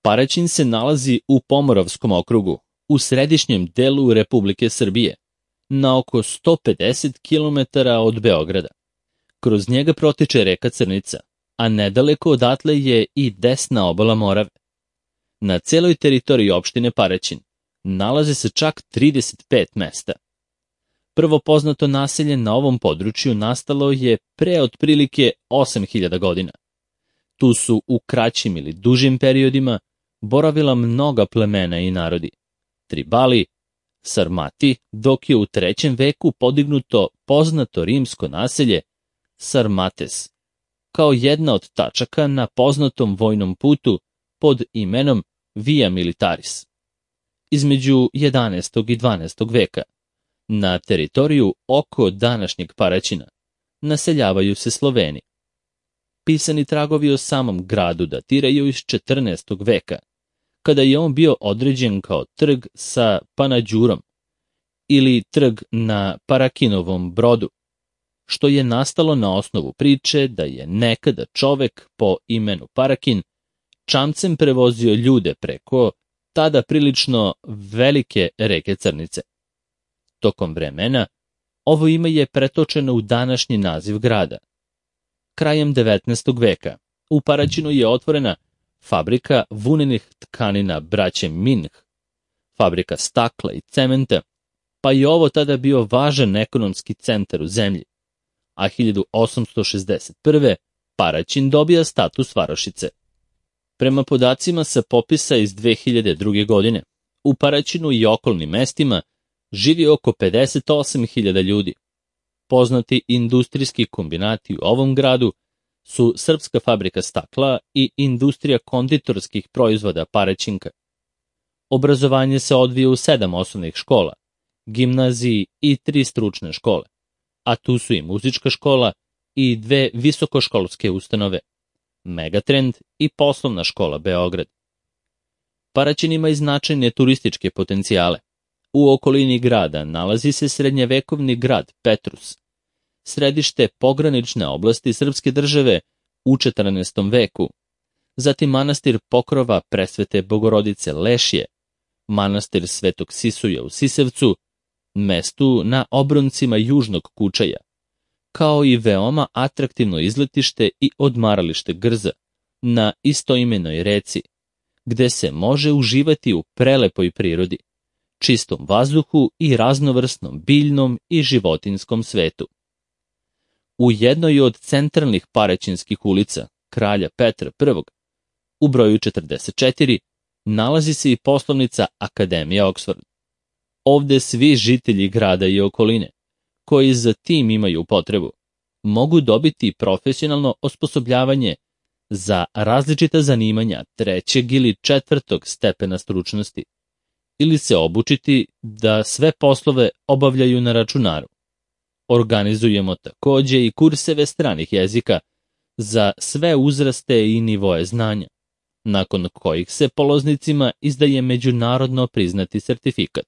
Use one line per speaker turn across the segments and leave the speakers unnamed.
Paraćin se nalazi u Pomoravskom okrugu, u središnjem delu Republike Srbije, na oko 150 km od Beograda. Kroz njega protiče reka Crnica, a nedaleko odatle je i desna obala Morave. Na celoj teritoriji opštine Paraćin nalaze se čak 35 mesta. Prvo poznato naselje na ovom području nastalo je pre otprilike 8000 godina. Tu su u kraćim ili dužim periodima boravila mnoga plemena i narodi. Tribali, Sarmati, dok je u 3. veku podignuto poznato rimsko naselje Sarmates, kao jedna od tačaka na poznatom vojnom putu pod imenom Via Militaris. Između 11. i 12. veka na teritoriju oko današnjeg Paraćina naseljavaju se Sloveni. Pisani tragovi o samom gradu datiraju iz 14. veka, kada je on bio određen kao trg sa Panađurom ili trg na Parakinovom brodu, što je nastalo na osnovu priče da je nekada čovek po imenu Parakin čamcem prevozio ljude preko tada prilično velike reke Crnice. Tokom vremena ovo ime je pretočeno u današnji naziv grada. Krajem 19. veka u Paraćinu je otvorena fabrika vunenih tkanina braće Minh, fabrika stakla i cementa, pa je ovo tada bio važan ekonomski centar u zemlji, a 1861. Paraćin dobija status varošice. Prema podacima sa popisa iz 2002. godine, u Paraćinu i okolnim mestima živi oko 58.000 ljudi. Poznati industrijski kombinati u ovom gradu su Srpska fabrika stakla i industrija konditorskih proizvoda Paraćinka. Obrazovanje se odvija u 7 osnovnih škola, gimnaziji i 3 stručne škole, a tu su i muzička škola i 2 visokoškolske ustanove, Megatrend i poslovna škola Beograd. Paraćin ima i značajne turističke potencijale. U okolini grada nalazi se srednjevekovni grad Petrus, središte pogranične oblasti srpske države u 14. veku, zatim manastir Pokrova Presvete Bogorodice Lešje, manastir Svetog Sisuja u Sisevcu, mestu na obroncima Južnog Kučaja, kao i veoma atraktivno izletište i odmaralište Grza na istoimenoj reci, gde se može uživati u prelepoj prirodi, čistom vazduhu i raznovrsnom biljnom i životinjskom svetu. U jednoj od centralnih paraćinskih ulica, Kralja Petra I, u broju 44, nalazi se i poslovnica Akademija Oxford. Ovde svi žitelji grada i okoline, koji za tim imaju potrebu, mogu dobiti profesionalno osposobljavanje za različita zanimanja 3. ili 4. stepena stručnosti, ili se obučiti da sve poslove obavljaju na računaru. Organizujemo takođe i kurseve stranih jezika za sve uzraste i nivoe znanja, nakon kojih se polaznicima izdaje međunarodno priznati sertifikat.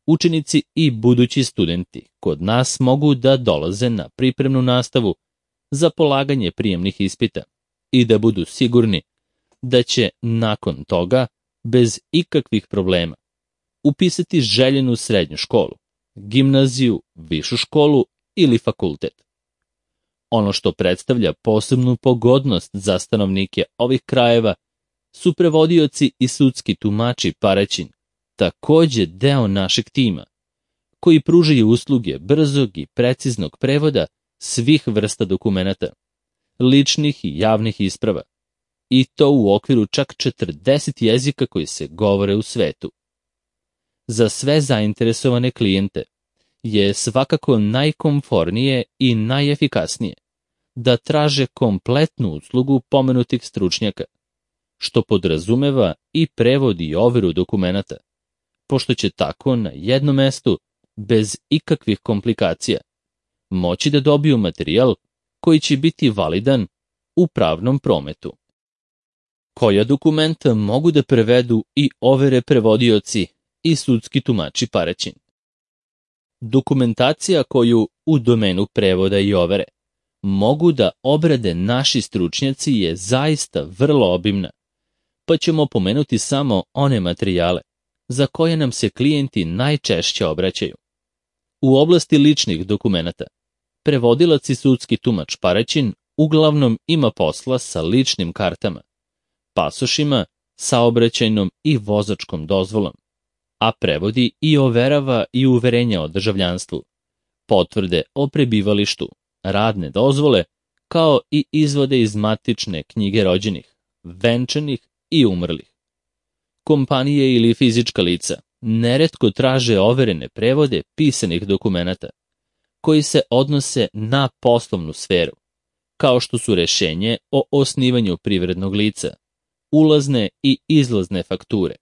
Učenici i budući studenti kod nas mogu da dolaze na pripremnu nastavu za polaganje prijemnih ispita i da budu sigurni da će nakon toga, bez ikakvih problema, upisati željenu srednju školu, gimnaziju, višu školu ili fakultet. Ono što predstavlja posebnu pogodnost za stanovnike ovih krajeva su prevodioci i sudski tumači Paraćin, takođe deo našeg tima, koji pružaju usluge brzog i preciznog prevoda svih vrsta dokumenata, ličnih i javnih isprava, i to u okviru čak 40 jezika koji se govore u svetu. Za sve zainteresovane klijente je svakako najkomfornije i najefikasnije da traže kompletnu uslugu pomenutih stručnjaka, što podrazumeva i prevod i overu dokumenata, pošto će tako na jednom mestu, bez ikakvih komplikacija, moći da dobiju materijal koji će biti validan u pravnom prometu. Koja dokumenta mogu da prevedu i overe prevodioci i sudski tumači Paraćin? Dokumentacija koju u domenu prevoda i overe mogu da obrade naši stručnjaci je zaista vrlo obimna, pa ćemo pomenuti samo one materijale za koje nam se klijenti najčešće obraćaju. U oblasti ličnih dokumenata, prevodilac i sudski tumač Paraćin uglavnom ima posla sa ličnim kartama, pasošima, saobraćajnom i vozačkom dozvolom, a prevodi i overava i uverenja o državljanstvu, potvrde o prebivalištu, radne dozvole, kao i izvode iz matične knjige rođenih, venčanih i umrlih. Kompanije ili fizička lica neretko traže overene prevode pisanih dokumenata, koji se odnose na poslovnu sferu, kao što su rešenje o osnivanju privrednog lica, ulazne i izlazne fakture,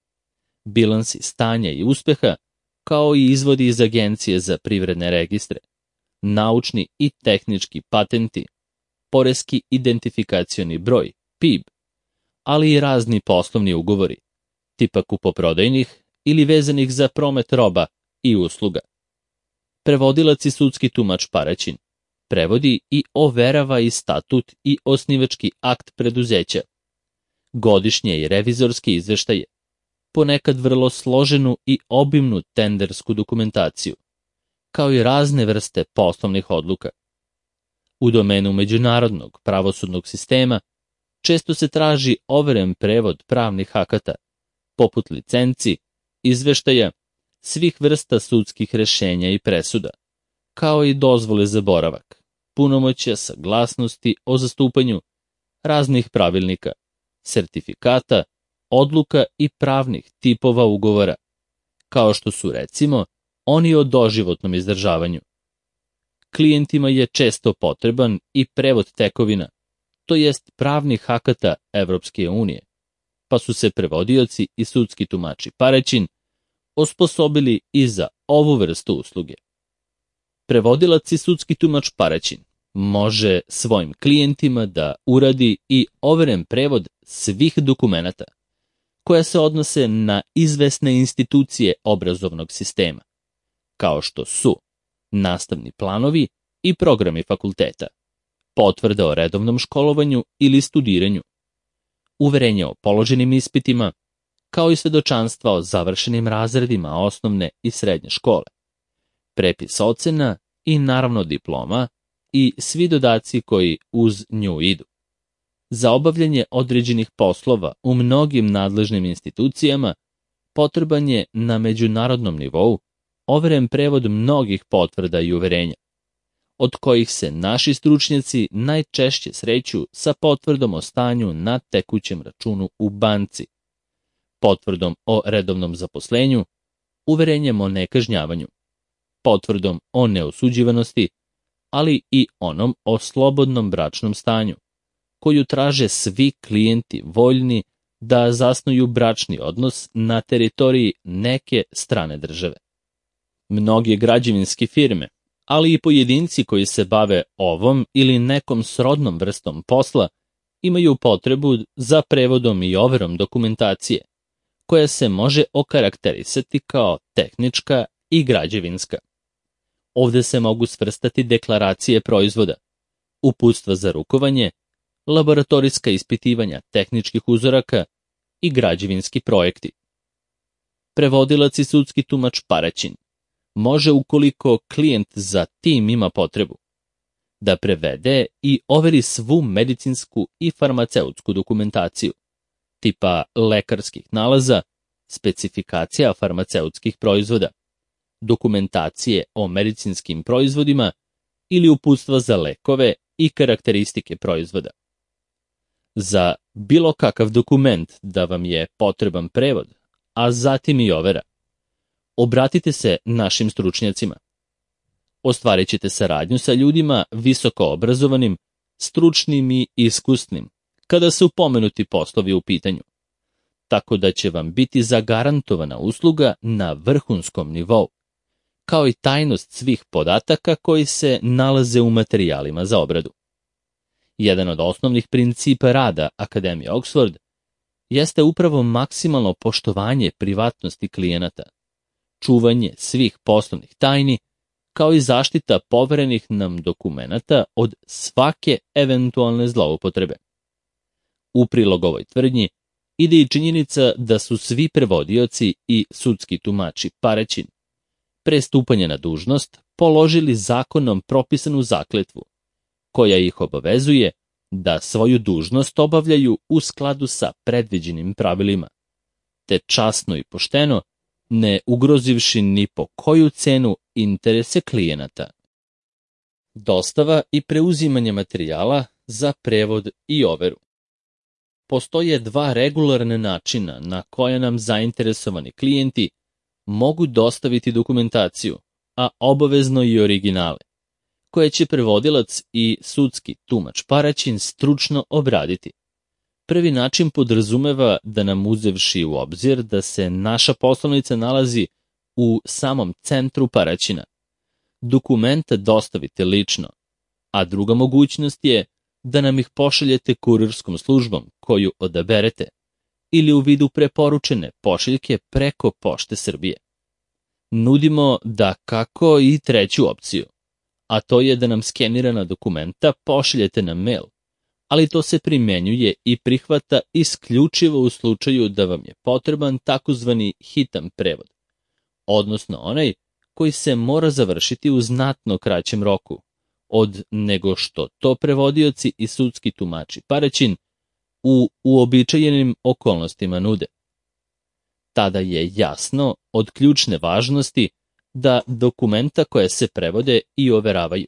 bilansi stanja i uspeha, kao i izvodi iz Agencije za privredne registre, naučni i tehnički patenti, poreski identifikacioni broj, PIB, ali i razni poslovni ugovori, tipa kupoprodajnih ili vezanih za promet roba i usluga. Prevodilac i sudski tumač Paraćin prevodi i overava i statut i osnivački akt preduzeća, godišnje i revizorske izveštaje, ponekad vrlo složenu i obimnu tendersku dokumentaciju, kao i razne vrste poslovnih odluka. U domenu međunarodnog pravosudnog sistema često se traži overen prevod pravnih akata, poput licenci, izveštaja, svih vrsta sudskih rešenja i presuda, kao i dozvole za boravak, punomoćja, saglasnosti o zastupanju, raznih pravilnika, sertifikata, odluka i pravnih tipova ugovora, kao što su recimo oni o doživotnom izdržavanju. Klijentima je često potreban i prevod tekovina, to jest pravnih akata Evropske unije, pa su se prevodioci i sudski tumači Paraćin osposobili i za ovu vrstu usluge. Prevodilac i sudski tumač Paraćin može svojim klijentima da uradi i overen prevod svih dokumenata koja se odnose na izvesne institucije obrazovnog sistema, kao što su nastavni planovi i programi fakulteta, potvrda o redovnom školovanju ili studiranju, uverenje o položenim ispitima, kao i svedočanstva o završenim razredima osnovne i srednje škole, prepis ocena i naravno diploma i svi dodaci koji uz nju idu. Za obavljanje određenih poslova u mnogim nadležnim institucijama potreban je na međunarodnom nivou overen prevod mnogih potvrda i uverenja, od kojih se naši stručnjaci najčešće sreću sa potvrdom o stanju na tekućem računu u banci, potvrdom o redovnom zaposlenju, uverenjem o nekažnjavanju, potvrdom o neosuđivanosti, ali i onom o slobodnom bračnom stanju, koju traže svi klijenti voljni da zasnuju bračni odnos na teritoriji neke strane države. Mnoge građevinske firme, ali i pojedinci koji se bave ovom ili nekom srodnom vrstom posla, imaju potrebu za prevodom i overom dokumentacije, koja se može okarakterisati kao tehnička i građevinska. Ovde se mogu svrstati deklaracije proizvoda, uputstva za rukovanje, laboratorijska ispitivanja tehničkih uzoraka i građevinski projekti. Prevodilac i sudski tumač Paraćin može, ukoliko klijent za tim ima potrebu, da prevede i overi svu medicinsku i farmaceutsku dokumentaciju, tipa lekarskih nalaza, specifikacija farmaceutskih proizvoda, dokumentacije o medicinskim proizvodima ili uputstva za lekove i karakteristike proizvoda. Za bilo kakav dokument da vam je potreban prevod, a zatim i overa, obratite se našim stručnjacima. Ostvarit ćete saradnju sa ljudima visoko obrazovanim, stručnim i iskusnim, kada su pomenuti poslovi u pitanju, tako da će vam biti zagarantovana usluga na vrhunskom nivou, kao i tajnost svih podataka koji se nalaze u materijalima za obradu. Jedan od osnovnih principa rada Akademije Oxford jeste upravo maksimalno poštovanje privatnosti klijenata, čuvanje svih poslovnih tajni, kao i zaštita poverenih nam dokumenata od svake eventualne zloupotrebe. U prilog ovoj tvrdnji, ide i činjenica da su svi prevodioci i sudski tumači Paraćin pre stupanja na dužnost položili zakonom propisanu zakletvu, koja ih obavezuje da svoju dužnost obavljaju u skladu sa predviđenim pravilima, te časno i pošteno, ne ugrozivši ni po koju cenu interese klijenata. Dostava i preuzimanje materijala za prevod i overu. Postoje dva regularna načina na koja nam zainteresovani klijenti mogu dostaviti dokumentaciju, a obavezno i originale, koje će prevodilac i sudski tumač Paraćin stručno obraditi. Prvi način podrazumeva da nam, uzevši u obzir da se naša poslovnica nalazi u samom centru Paraćina, dokumenta dostavite lično, a druga mogućnost je da nam ih pošaljete kurirskom službom koju odaberete ili u vidu preporučene pošiljke preko Pošte Srbije. Nudimo da kako i treću opciju, a to je da nam skenirana dokumenta pošaljete na mail, ali to se primenjuje i prihvata isključivo u slučaju da vam je potreban takozvani hitan prevod, odnosno onaj koji se mora završiti u znatno kraćem roku od nego što to prevodioci i sudski tumači Paraćin u uobičajenim okolnostima nude. Tada je jasno od ključne važnosti da dokumenta koje se prevode i overavaju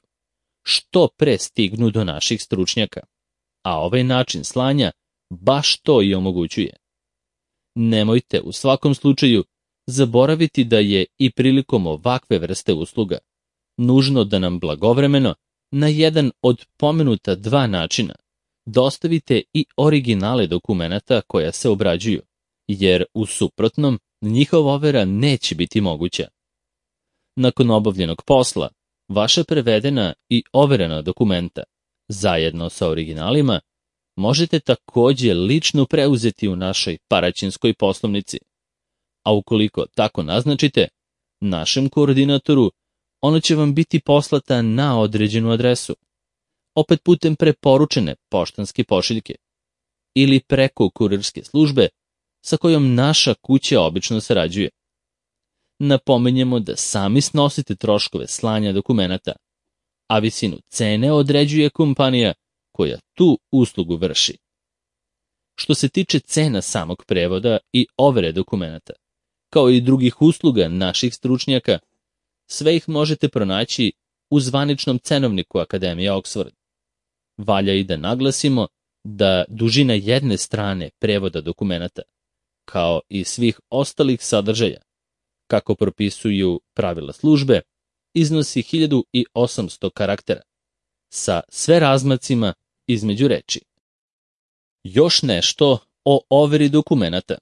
što pre stignu do naših stručnjaka, a ovaj način slanja baš to i omogućuje. Nemojte u svakom slučaju zaboraviti da je i prilikom ovakve vrste usluga nužno da nam blagovremeno na jedan od pomenuta dva načina dostavite i originale dokumenata koja se obrađuju, jer u suprotnom njihova overa neće biti moguća. Nakon obavljenog posla, vaša prevedena i overena dokumenta, zajedno sa originalima, možete takođe lično preuzeti u našoj paraćinskoj poslovnici, a ukoliko tako naznačite, našem koordinatoru ona će vam biti poslata na određenu adresu, opet putem preporučene poštanske pošiljke ili preko kurirske službe sa kojom naša kuća obično sarađuje. Napominjemo da sami snosite troškove slanja dokumenata, a visinu cene određuje kompanija koja tu uslugu vrši. Što se tiče cena samog prevoda i overe dokumenata, kao i drugih usluga naših stručnjaka, sve ih možete pronaći u zvaničnom cenovniku Akademije Oxford. Valja i da naglasimo da dužina jedne strane prevoda dokumenata, kao i svih ostalih sadržaja, kako propisuju pravila službe, iznosi 1800 karaktera, sa sve razmacima između reči. Još nešto o overi dokumenata.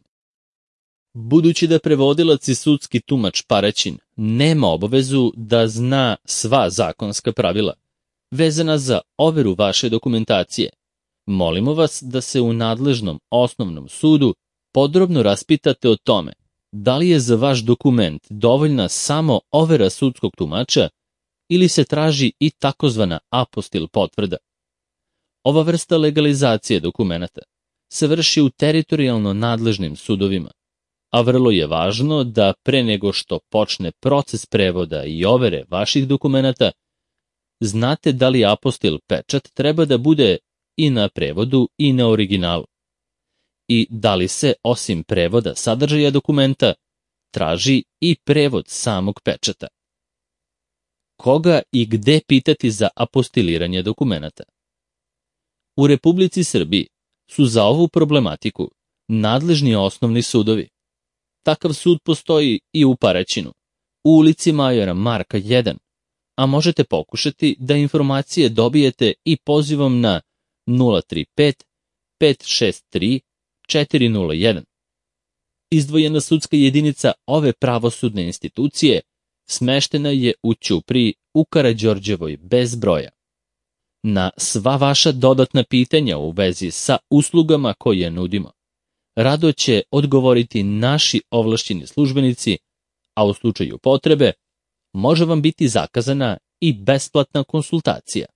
Budući da prevodilac i sudski tumač Paraćin nema obavezu da zna sva zakonska pravila vezana za overu vaše dokumentacije, molimo vas da se u nadležnom osnovnom sudu podrobno raspitate o tome da li je za vaš dokument dovoljna samo overa sudskog tumača ili se traži i takozvana apostil potvrda. Ova vrsta legalizacije dokumenata se vrši u teritorijalno nadležnim sudovima, a vrlo je važno da pre nego što počne proces prevoda i overe vaših dokumenata, znate da li apostil pečat treba da bude i na prevodu i na originalu, i da li se, osim prevoda sadržaja dokumenta, traži i prevod samog pečata. Koga i gde pitati za apostiliranje dokumenata? U Republici Srbiji su za ovu problematiku nadležni osnovni sudovi. Takav sud postoji i u Paraćinu, u ulici Majora Marka 1, a možete pokušati da informacije dobijete i pozivom na 035 563 401. Izdvojena sudska jedinica ove pravosudne institucije smeštena je u Ćupriji u Karađorđevoj bez broja. Na sva vaša dodatna pitanja u vezi sa uslugama koje nudimo, rado će odgovoriti naši ovlašćeni službenici, a u slučaju potrebe može vam biti zakazana i besplatna konsultacija.